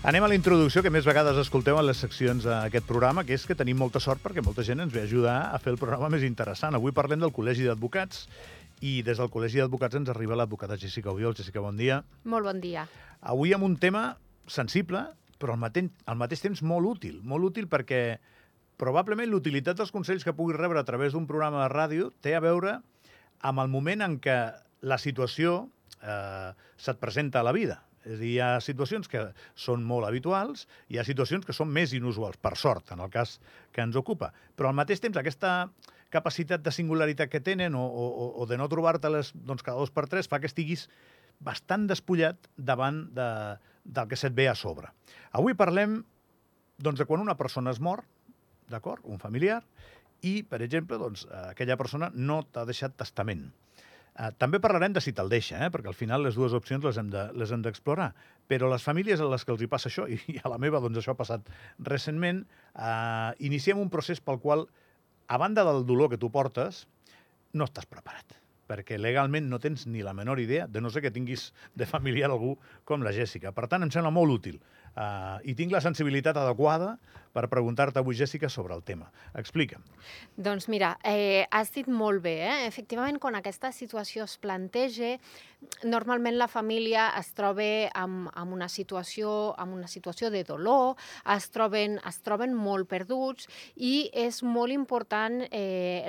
Anem a la introducció que més vegades escolteu en les seccions d'aquest programa, que és que tenim molta sort perquè molta gent ens ve a ajudar a fer el programa més interessant. Avui parlem del Col·legi d'Advocats i des del Col·legi d'Advocats ens arriba l'advocada Jessica Obiol. Jessica, bon dia. Molt bon dia. Avui amb un tema sensible, però al mateix temps molt útil perquè probablement l'utilitat dels consells que puguis rebre a través d'un programa de ràdio té a veure amb el moment en què la situació se't presenta a la vida. És a dir, hi ha situacions que són molt habituals, hi ha situacions que són més inusuals, per sort, en el cas que ens ocupa. Però al mateix temps aquesta capacitat de singularitat que tenen o de no trobar-te-les cada 2 per 3 fa que estiguis bastant despullat davant del que se't ve a sobre. Avui parlem de quan una persona es mor, d'acord, un familiar, i, per exemple, aquella persona no t'ha deixat testament. També parlarem de si te'l deixa, perquè al final les dues opcions les hem d'explorar. Però les famílies a les que els hi passa això, i a la meva això ha passat recentment, iniciem un procés pel qual, a banda del dolor que tu portes, no estàs preparat. Perquè legalment no tens ni la menor idea, de no ser que tinguis de familiar algú com la Jèssica. Per tant, em sembla molt útil. I tinc la sensibilitat adequada per preguntar-te avui, Jèssica, sobre el tema. Explica'm. Doncs mira, has dit molt bé. Efectivament, quan aquesta situació es planteja, normalment la família es troba en una situació de dolor, es troben molt perduts i és molt important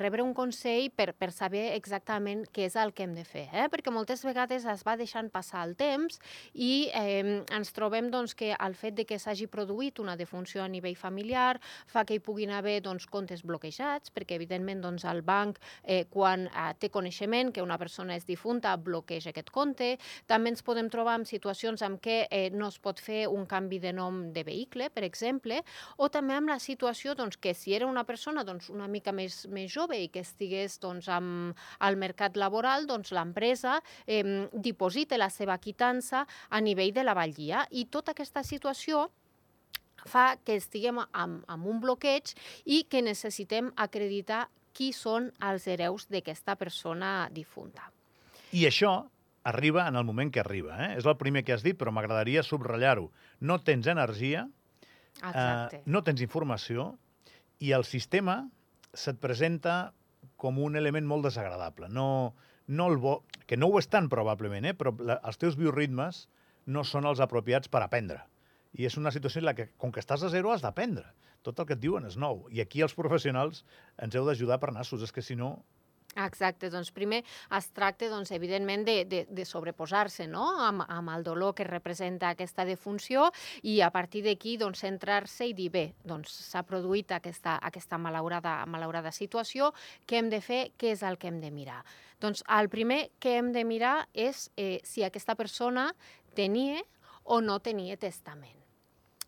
rebre un consell per saber exactament què és el que hem de fer. Perquè moltes vegades es va deixant passar el temps i ens trobem que el fet de que s'hagi produït una defunció a nivell familiar fa que hi puguin haver comptes bloquejats, perquè evidentment el banc, quan té coneixement que una persona és difunta, bloqueja aquest compte. També ens podem trobar en situacions en què no es pot fer un canvi de nom de vehicle, per exemple, o també amb la situació que si era una persona una mica més jove i que estigués al mercat laboral, l'empresa diposita la seva quitança a nivell de la batllia. I tota aquesta situació fa que estiguem amb un bloqueig i que necessitem acreditar qui són els hereus d'aquesta persona difunta. I això arriba en el moment que arriba. És el primer que has dit, però m'agradaria subratllar-ho. No tens energia, no tens informació i el sistema se't presenta com un element molt desagradable. No el bo, que no ho és tant probablement, però els teus bioritmes no són els apropiats per aprendre. I és una situació en la que, com que estàs a zero, has d'aprendre. Tot el que et diuen és nou. I aquí els professionals ens heu d'ajudar per nassos, és que si no... Exacte, primer es tracta, evidentment, de sobreposar-se amb el dolor que representa aquesta defunció i a partir d'aquí centrar-se i dir, bé, s'ha produït aquesta malaurada situació, què hem de fer, què és el que hem de mirar? El primer que hem de mirar és si aquesta persona tenia o no tenia testament.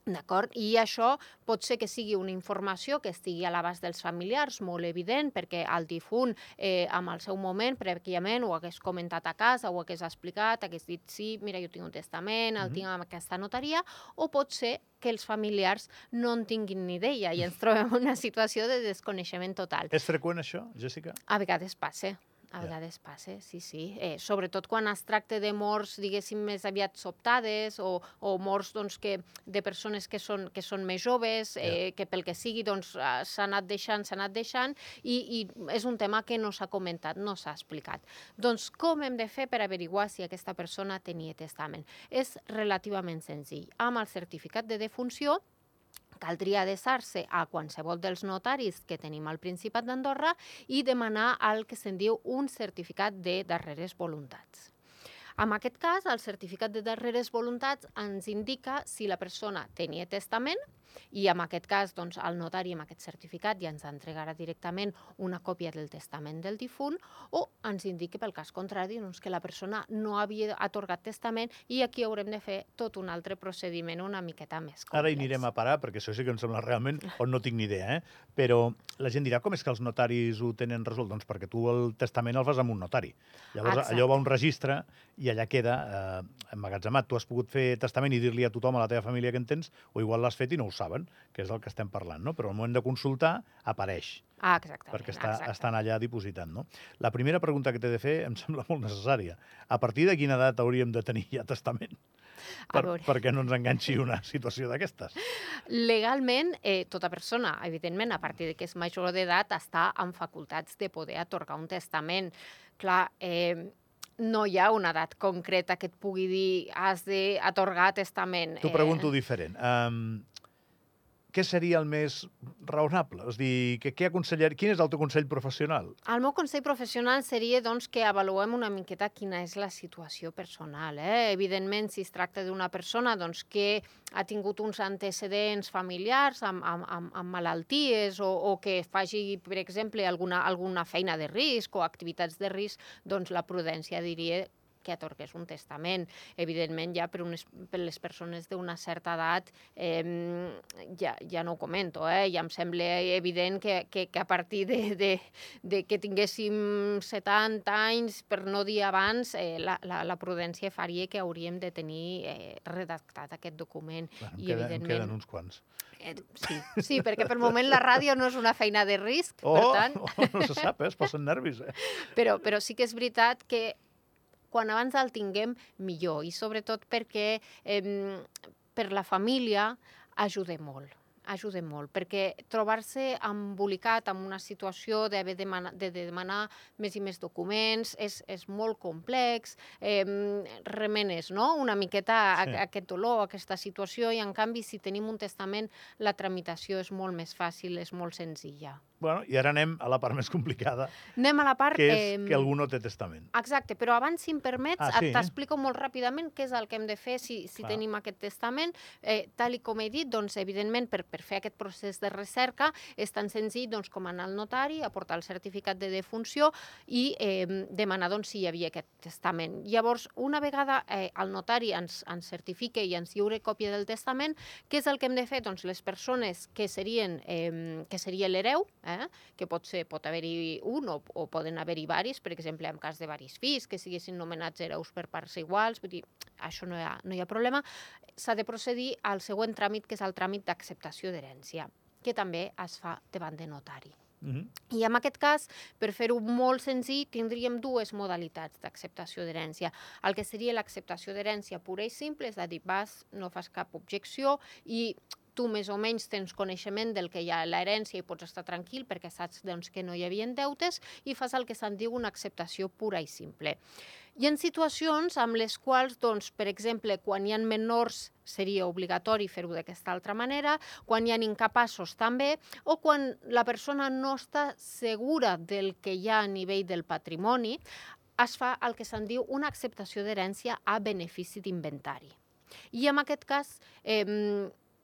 D'acord? I això pot ser que sigui una informació que estigui a l'abast dels familiars, molt evident, perquè el difunt en el seu moment, prèviament, ho hagués comentat a casa, ho hagués explicat, hagués dit, sí, mira, jo tinc un testament, el tinc en aquesta notaria, o pot ser que els familiars no en tinguin ni idea i ens trobem en una situació de desconeixement total. És freqüent això, Jèssica? A vegades passa. A vegades passa, sí. Sobretot quan es tracta de morts, diguéssim, més aviat sobtades o morts de persones que són més joves, que pel que sigui s'ha anat deixant i és un tema que no s'ha comentat, no s'ha explicat. Com hem de fer per averiguar si aquesta persona tenia testament? És relativament senzill. Amb el certificat de defunció caldria adreçar-se a qualsevol dels notaris que tenim al Principat d'Andorra i demanar el que se'n diu un certificat de darreres voluntats. En aquest cas, el certificat de darreres voluntats ens indica si la persona tenia testament i en aquest cas el notari amb aquest certificat ja ens entregarà directament una còpia del testament del difunt o ens indica pel cas contrari que la persona no havia atorgat testament i aquí haurem de fer tot un altre procediment una miqueta més complex. Ara hi anirem a parar perquè això sí que em sembla realment on no tinc ni idea, però la gent dirà com és que els notaris ho tenen resolt? Doncs perquè tu el testament el fas amb un notari. Llavors allò va a un registre i allà queda emmagatzemat. Tu has pogut fer testament i dir-li a tothom, a la teva família que en tens, o igual l'has fet i no ho saps. saben que és del que estem parlant, no? Però al moment de consultar apareix, Exactament. perquè estan allà dipositant, no? La primera pregunta que t'he de fer em sembla molt necessària. A partir de quina edat hauríem de tenir ja testament? Perquè no ens enganxi una situació d'aquestes. Legalment, tota persona, evidentment, a partir de que és major d'edat, està amb facultats de poder atorgar un testament. Clar, no hi ha una edat concreta que et pugui dir has d'atorgar testament. T'ho pregunto diferent. Què seria el més raonable? És a dir, quin és el teu consell professional? El meu consell professional seria doncs, que avaluem una miqueta quina és la situació personal. Evidentment, si es tracta d'una persona doncs, que ha tingut uns antecedents familiars amb malalties o que faci, per exemple, alguna feina de risc o activitats de risc, doncs la prudència diria que atorgués un testament. Evidentment, ja per les persones d'una certa edat ja no ho comento. Ja em sembla evident que a partir de que tinguéssim 70 anys, per no dir abans, la prudència faria que hauríem de tenir redactat aquest document. Bueno, em queden uns quants. Sí, perquè per moment la ràdio no és una feina de risc, per tant... No se sap, es posen nervis. Però sí que és veritat que quan abans el tinguem, millor. I sobretot perquè per la família ajuda molt. Perquè trobar-se embolicat en una situació d'haver de demanar més i més documents és molt complex, remenes, no?, una miqueta aquest dolor, aquesta situació, i en canvi, si tenim un testament, la tramitació és molt més fàcil, és molt senzilla. Bueno, i ara anem a la part més complicada, anem a la part, que és que algú no té testament. Exacte, però abans, si em permets, t'explico molt ràpidament què és el que hem de fer si tenim aquest testament. Tal com he dit, doncs, evidentment, per fer aquest procés de recerca és tan senzill doncs, com anar al notari, aportar el certificat de defunció i demanar doncs, si hi havia aquest testament. Llavors, una vegada el notari ens certifica i ens lliure còpia del testament, què és el que hem de fer? Doncs les persones que seria l'hereu, que pot haver-hi un o poden haver-hi varis, per exemple, en cas de varis fills, que siguessin nomenats hereus per parts iguals, vull dir, això no hi ha problema, s'ha de procedir al següent tràmit, que és el tràmit d'acceptació d'herència, que també es fa davant de notari. I en aquest cas, per fer-ho molt senzill, tindríem dues modalitats d'acceptació d'herència. El que seria l'acceptació d'herència pura i simple, és a dir, no fas cap objecció i tu més o menys tens coneixement del que hi ha a l'herència i pots estar tranquil perquè saps doncs, que no hi havia deutes i fas el que se'n diu una acceptació pura i simple. Hi ha situacions amb les quals, doncs, per exemple, quan hi ha menors seria obligatori fer-ho d'aquesta altra manera, quan hi ha incapaços també, o quan la persona no està segura del que hi ha a nivell del patrimoni, es fa el que se'n diu una acceptació d'herència a benefici d'inventari. I en aquest cas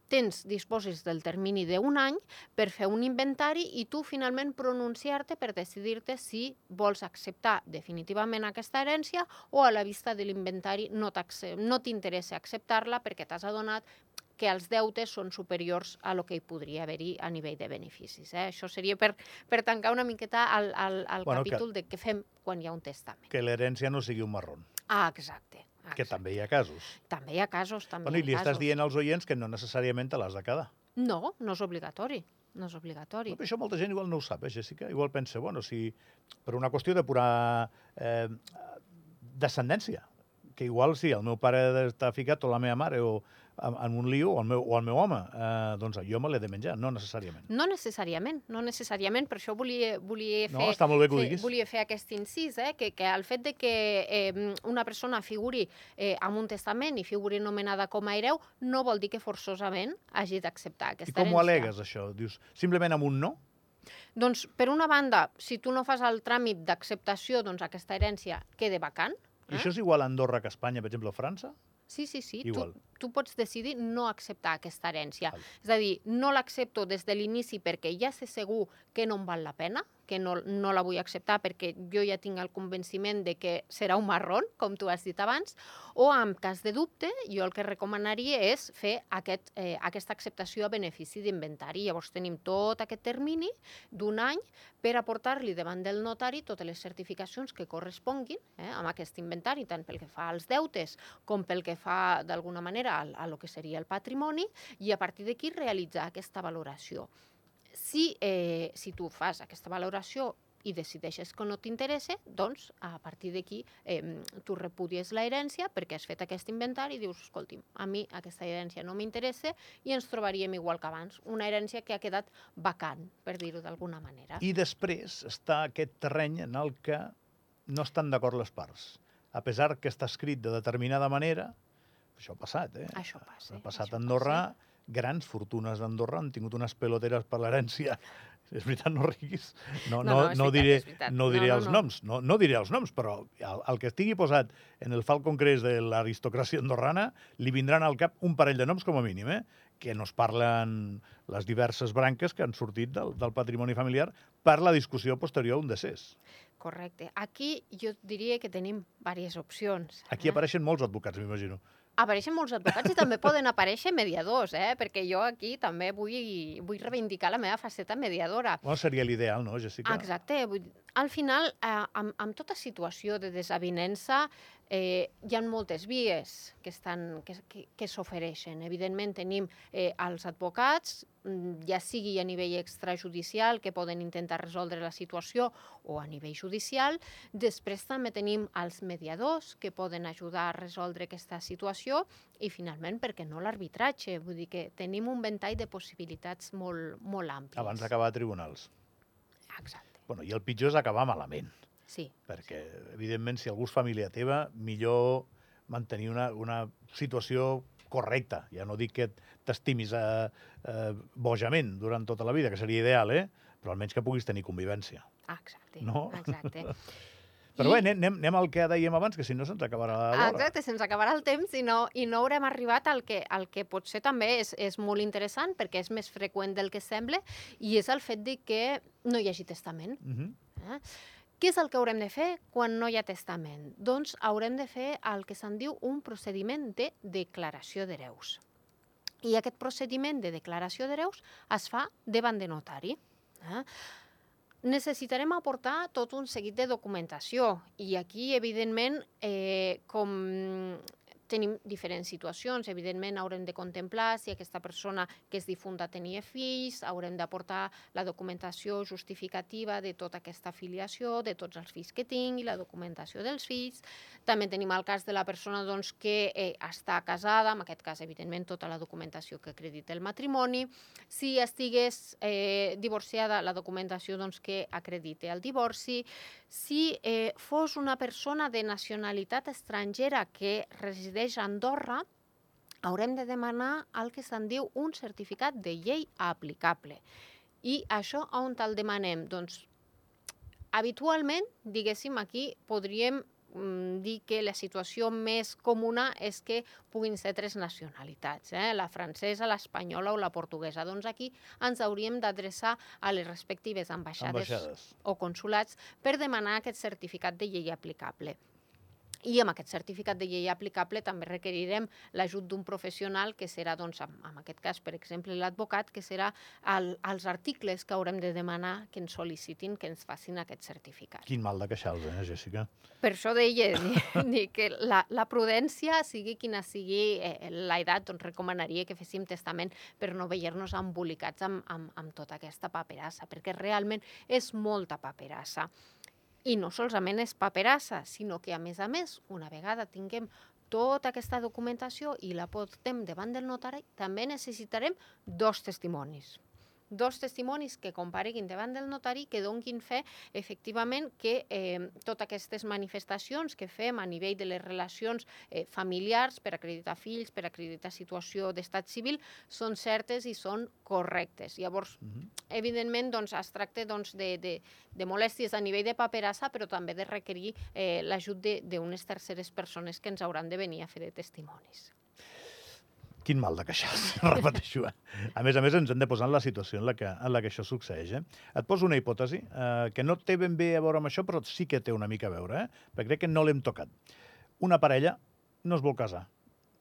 disposes del termini d'un any per fer un inventari i tu finalment pronunciar-te per decidir-te si vols acceptar definitivament aquesta herència o a la vista de l'inventari no t'interessa acceptar-la perquè t'has adonat que els deutes són superiors a lo que hi podria haver-hi a nivell de beneficis. Això seria per tancar una miqueta el capítol de què fem quan hi ha un testament. Que l'herència no sigui un marrón. Exacte. Que també hi ha casos. També hi ha casos, I li estàs dient als oients que no necessàriament te l'has de quedar. No és obligatori. No és obligatori. Això molta gent igual no ho sap, Jessica? Igual pensa, si per una qüestió de pura descendència, que igual si el meu pare està ficat o la meva mare o en un lío, o el meu home, doncs jo me l'he de menjar, no necessàriament. No necessàriament, per això volia està molt bé que ho diguis. Volia fer aquest incís, que el fet de que una persona figuri amb un testament i figuri nomenada com a hereu no vol dir que forçosament hagi d'acceptar aquesta herència. I com ho al·legues, això? Dius, simplement amb un no? Doncs, per una banda, si tu no fas el tràmit d'acceptació, doncs aquesta herència queda vacant. I això és igual a Andorra que a Espanya, per exemple, o a França? Sí. Tu pots decidir no acceptar aquesta herència. És a dir, no l'accepto des de l'inici perquè ja sé segur que no em val la pena, que no la vull acceptar perquè jo ja tinc el convenciment de que serà un marrón, com tu has dit abans, o en cas de dubte, jo el que recomanaria és fer aquesta acceptació a benefici d'inventari. Llavors tenim tot aquest termini d'un any per aportar-li davant del notari totes les certificacions que corresponguin amb aquest inventari, tant pel que fa als deutes com pel que fa, d'alguna manera, a lo que seria el patrimoni, i a partir d'aquí realitzar aquesta valoració. Si tu fas aquesta valoració i decideixes que no t'interessa, doncs a partir d'aquí tu repudies l'herència perquè has fet aquest inventari i dius, escolti'm, a mi aquesta herència no m'interessa i ens trobaríem igual que abans, una herència que ha quedat vacant, per dir-ho d'alguna manera. I després està aquest terreny en el que no estan d'acord les parts. A pesar que està escrit de determinada manera, això ha passat, Això passa. Ha passat a Andorra, grans fortunes d'Andorra han tingut unes peloteres per l'herència. És veritat, no riguis. No diré els noms. No diré els noms, però el que estigui posat en el Falcon Crest de l'aristocràcia andorrana li vindran al cap un parell de noms com a mínim, que no es parlen les diverses branques que han sortit del patrimoni familiar per la discussió posterior a un decés. Correcte. Aquí jo diria que tenim diverses opcions. Aquí apareixen molts advocats, m'imagino. Apareixen molts advocats i també poden aparèixer mediadors, perquè jo aquí també vull reivindicar la meva faceta mediadora. Seria l'ideal, no, Jessica? Exacte. Al final, amb tota situació de desavinença, hi ha moltes vies que s'ofereixen. Evidentment, tenim els advocats, ja sigui a nivell extrajudicial, que poden intentar resoldre la situació, o a nivell judicial. Després també tenim els mediadors, que poden ajudar a resoldre aquesta situació, i finalment, per què no, l'arbitratge? Vull dir que tenim un ventall de possibilitats molt àmplies. Abans d'acabar a tribunals. Exacte. I el pitjor és acabar malament. Sí. Perquè, evidentment, si algú és família teva, millor mantenir una situació correcta. Ja no dic que t'estimis bojament durant tota la vida, que seria ideal, però almenys que puguis tenir convivència. Exacte. No? Exacte. Però bé, anem al que dèiem abans, que si no se'ns acabarà l'hora. Exacte, se'ns acabarà el temps i no haurem arribat al que potser també és molt interessant, perquè és més freqüent del que sembla, i és el fet de que no hi hagi testament. Què és el que haurem de fer quan no hi ha testament? Doncs haurem de fer el que se'n diu un procediment de declaració d'hereus. I aquest procediment de declaració d'hereus es fa davant de notari. Necessitarem aportar tot un seguit de documentació i aquí, evidentment, com tenim diferents situacions, evidentment haurem de contemplar si aquesta persona que és difunta tenia fills, haurem d'aportar la documentació justificativa de tota aquesta filiació, de tots els fills que tingui, la documentació dels fills. També tenim el cas de la persona que està casada, en aquest cas, evidentment, tota la documentació que acredita el matrimoni. Si estigués divorciada, la documentació que acredita el divorci. Si fos una persona de nacionalitat estrangera que resideix a Andorra, haurem de demanar el que se'n diu un certificat de llei aplicable. I això on el demanem? Doncs, habitualment, diguéssim, aquí podríem dir que la situació més comuna és que puguin ser 3 nacionalitats, la francesa, l'espanyola o la portuguesa. Doncs aquí ens hauríem d'adreçar a les respectives ambaixades o consulats per demanar aquest certificat de llei aplicable. I amb aquest certificat de llei aplicable també requerirem l'ajut d'un professional que serà, doncs, en aquest cas, per exemple, l'advocat, que serà els articles que haurem de demanar que ens sol·licitin, que ens facin aquest certificat. Quin mal de queixals, Jessica? Per això deia que la prudència, sigui quina sigui l'edat, doncs recomanaria que féssim testament per no veure-nos embolicats amb tota aquesta paperassa, perquè realment és molta paperassa. I no solament és paperassa, sinó que, a més, una vegada tinguem tota aquesta documentació i la portem davant del notari, també necessitarem 2 testimonis. 2 testimonis que compareguin davant del notari, que donin fe, efectivament, que totes aquestes manifestacions que fem a nivell de les relacions familiars per acreditar fills, per acreditar situació d'estat civil, són certes i són correctes. Llavors, evidentment, es tracta de molèsties a nivell de paperassa, però també de requerir l'ajut d'unes terceres persones que ens hauran de venir a fer de testimonis. Quin mal de queixar-se, repeteixo. A més, ens hem de posar en la situació en la que això succeeix. Et poso una hipòtesi que no té ben bé a veure amb això, però sí que té una mica a veure, perquè crec que no l'hem tocat. Una parella no es vol casar,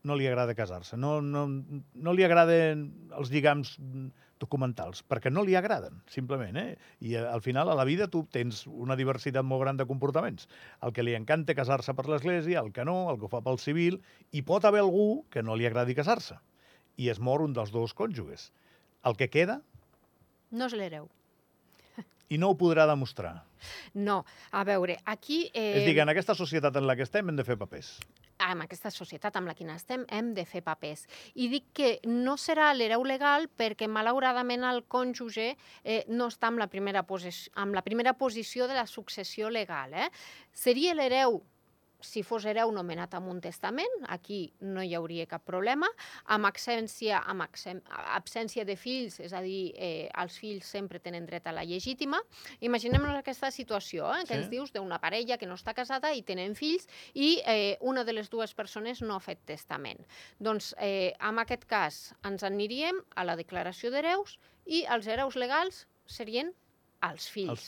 no li agrada casar-se, no li agraden els lligams documentals, perquè no li agraden, simplement. I al final, a la vida, tu tens una diversitat molt gran de comportaments. El que li encanta casar-se per l'església, el que no, el que ho fa pel civil, i pot haver algú que no li agradi casar-se. I es mor un dels dos cònjuges. El que queda... No és l'hereu. I no ho podrà demostrar. No, a veure, aquí... És a dir, en aquesta societat en la que estem hem de fer papers. En aquesta societat amb la que estem hem de fer papers. I dic que no serà l'hereu legal perquè, malauradament, el cònjuge no està en la primera posició de la successió legal. Seria l'hereu, si fos hereu nomenat amb un testament, aquí no hi hauria cap problema, amb absència de fills, és a dir, els fills sempre tenen dret a la legítima. Imaginem-nos aquesta situació, que ens dius d'una parella que no està casada i tenen fills i una de les dues persones no ha fet testament. Doncs, en aquest cas, ens aniríem a la declaració d'hereus i els hereus legals serien els fills.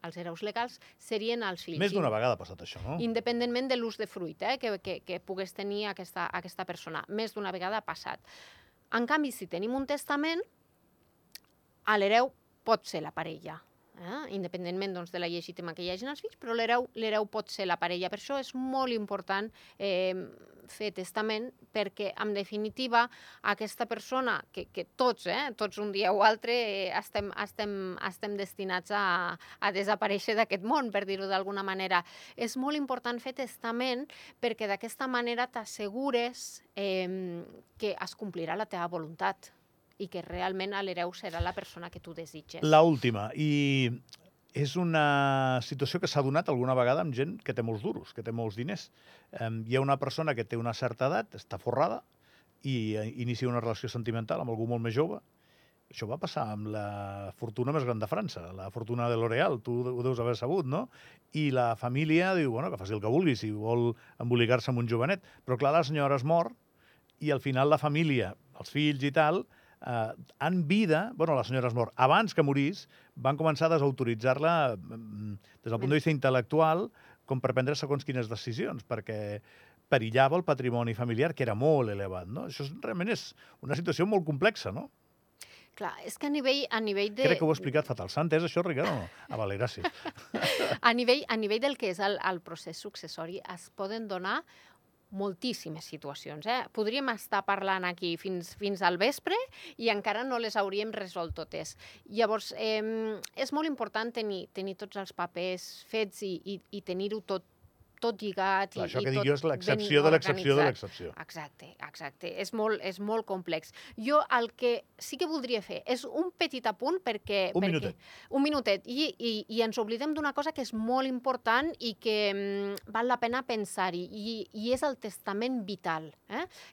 Els hereus legals serien els fills. Més d'una vegada ha passat això, no? Independentment de l'ús de fruit que pogués tenir aquesta persona. Més d'una vegada ha passat. En canvi, si tenim un testament, l'hereu pot ser la parella. Independentment de la legítima que hi hagi els fills, però l'hereu pot ser la parella. Per això és molt important fer testament, perquè, en definitiva, aquesta persona, que tots un dia o altre estem destinats a desaparèixer d'aquest món, per dir-ho d'alguna manera. És molt important fer testament perquè d'aquesta manera t'assegures que es complirà la teva voluntat i que realment l'hereu serà la persona que tu desitges. L'última, i és una situació que s'ha donat alguna vegada amb gent que té molts duros, que té molts diners. Hi ha una persona que té una certa edat, està forrada, i inicia una relació sentimental amb algú molt més jove. Això va passar amb la fortuna més gran de França, la fortuna de L'Oréal, tu ho deus haver sabut, no? I la família diu, bueno, que faci el que vulgui, si vol embolicar-se amb un jovenet. Però clar, la senyora es mor i al final la família, els fills i tal, en vida, bueno, la senyora es mor, abans que morís, van començar a desautoritzar-la des del punt de vista intel·lectual com per prendre segons quines decisions, perquè perillava el patrimoni familiar, que era molt elevat, no? Això realment és una situació molt complexa, no? Clar, és que a nivell de... Crec que ho he explicat fatal. S'ha entès això, Ricard, o no? Vale, gràcies. A nivell del que és el procés successori es poden donar moltíssimes situacions. Podríem estar parlant aquí fins al vespre i encara no les hauríem resolt totes. Llavors, és molt important tenir tots els papers fets i tenir-ho tot lligat. Això que dic jo és l'excepció de l'excepció de l'excepció. Exacte. És molt complex. Jo el que sí que voldria fer és un petit apunt perquè... Un minutet. I ens oblidem d'una cosa que és molt important i que val la pena pensar-hi, i és el testament vital,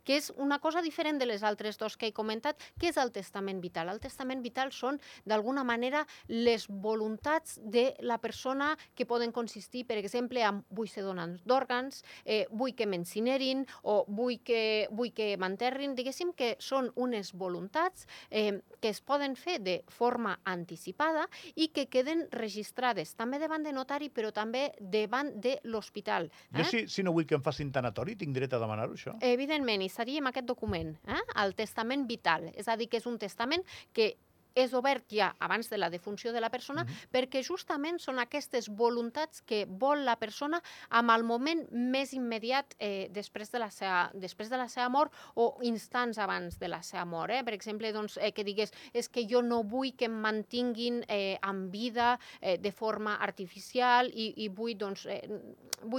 que és una cosa diferent de les altres dos que he comentat. Què és el testament vital? El testament vital són, d'alguna manera, les voluntats de la persona que poden consistir, per exemple, en vull ser donant d'òrgans, vull que m'incinerin o vull que m'enterrin. Diguéssim que són unes voluntats que es poden fer de forma anticipada i que queden registrades també davant de notari, però també davant de l'hospital. Jo, si no vull que em facin tanatori, tinc dret a demanar-ho, això? Evidentment, i seria amb aquest document, el testament vital. És a dir, que és un testament que és obert ja abans de la defunció de la persona, perquè justament són aquestes voluntats que vol la persona en el moment més immediat després de la seva mort o instants abans de la seva mort. Per exemple, que digués, és que jo no vull que em mantinguin en vida de forma artificial i vull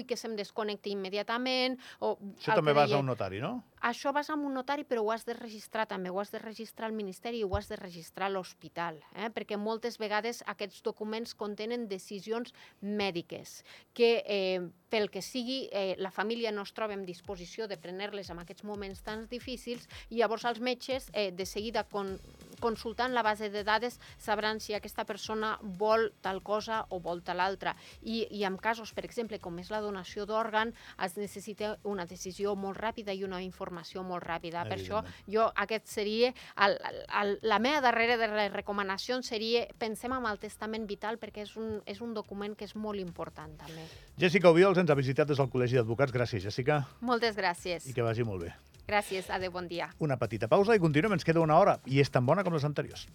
que se'm desconnecti immediatament. Això també vas a un notari, no? Això vas a un notari, però ho has de registrar també, ho has de registrar al Ministeri i ho has de registrar a l'hospital, perquè moltes vegades aquests documents contenen decisions mèdiques que, pel que sigui, la família no es troba en disposició de prendre-les en aquests moments tan difícils, i llavors els metges de seguida consultant la base de dades sabran si aquesta persona vol tal cosa o vol tal altra. I en casos, per exemple, com és la donació d'òrgan, es necessita una decisió molt ràpida i una informació molt ràpida. Per això, aquest seria... La meva darrera de les recomanacions seria pensem en el testament vital perquè és un document que és molt important també. Jèssica Obiols ens ha visitat des del Col·legi d'Advocats. Gràcies, Jèssica. Moltes gràcies. I que vagi molt bé. Gràcies, adéu, bon dia. Una petita pausa i continuem, ens queda una hora i és tan bona com les anteriors.